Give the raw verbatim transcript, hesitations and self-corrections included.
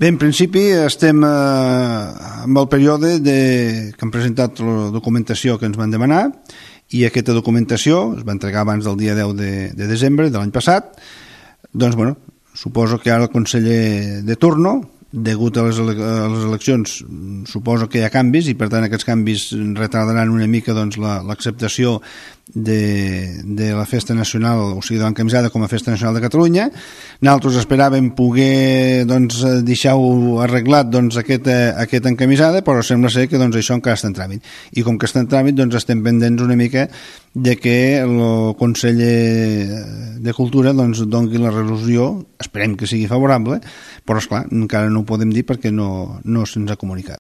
Bé, en principi estem eh, amb el període de, que han presentat la documentació que ens van demanar, i aquesta documentació es va entregar abans del dia deu de, de desembre de l'any passat. Doncs, bueno, suposo que ara el conseller de turno, degut a les, ele a les eleccions, suposo que hi ha canvis, i per tant aquests canvis retardaran una mica doncs, l'acceptació de, de la festa nacional, o sigui, de l'encamisada com a festa nacional de Catalunya. Nosaltres esperàvem poder doncs, deixar-ho arreglat doncs, aquesta, aquesta encamisada, però sembla ser que doncs, això encara està en tràmit. I com que està en tràmit, doncs, estem pendents una mica de que el conseller de Cultura doncs, doni la resolució, esperem que sigui favorable, però esclar, encara no ho podem dir perquè no, no se'ns ha comunicat.